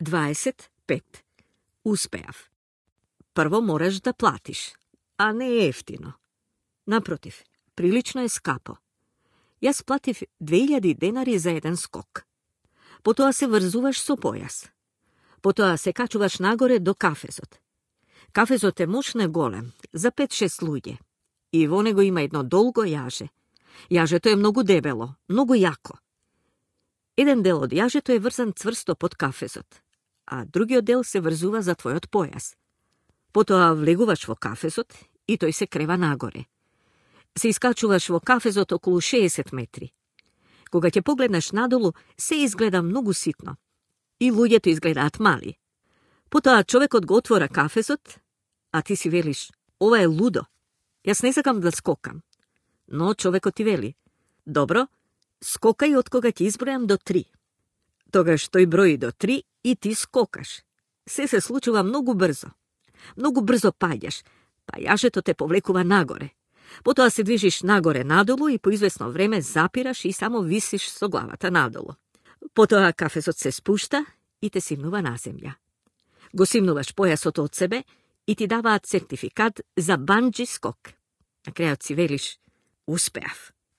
25. Uspejav. Prvo moraš da platiš, a ne jeftino. Naprotiv, prilično je skapo. Ja splativ 2000 denari za jedan skok. Potom se vrzuvaš so pojas. Potom se kačuvaš nagore do kafezot. Kafezot je moćne gole, za 5-6 ljudje. I vonego ima jedno dolgo jaže. Jaže to je mnogo debelo, mnogo jako. Jedan del od jaže to je vrzan cvrsto pod kafezot, a drugi del se vrzuva za tvoj od pojas. Potom vleguvaš vo kafezot i toj se kreva nagore. Se iskačuvaš vo kafezot okolo 60 metri. Koga te pogledaš nadolu, se izgleda mnogo sitno. I ljudje to izgledat mali. Potom čovek otvora kafezot, a ti si veliš, ova je ludo. Jas ne zakam da skokam. No čoveko ti veli, dobro, skokaj od koga ti izbrojam do 3. Toga što i broji do 3 i ti skokaš. Sve se slučuva mnogo brzo. Mnogo brzo padjaš, pa jažeto te povlekuva nagore. Potom se dvižiš nagore nadolu i po izvesno vreme zapiraš i samo visiš so glavata nadolu. Potom kafezot se spušta i te simnuva na zemlja. Go simnuvaš pojasot od sebe i ti dava certifikat za bungee skok. Na kraju si veliš, uspejav.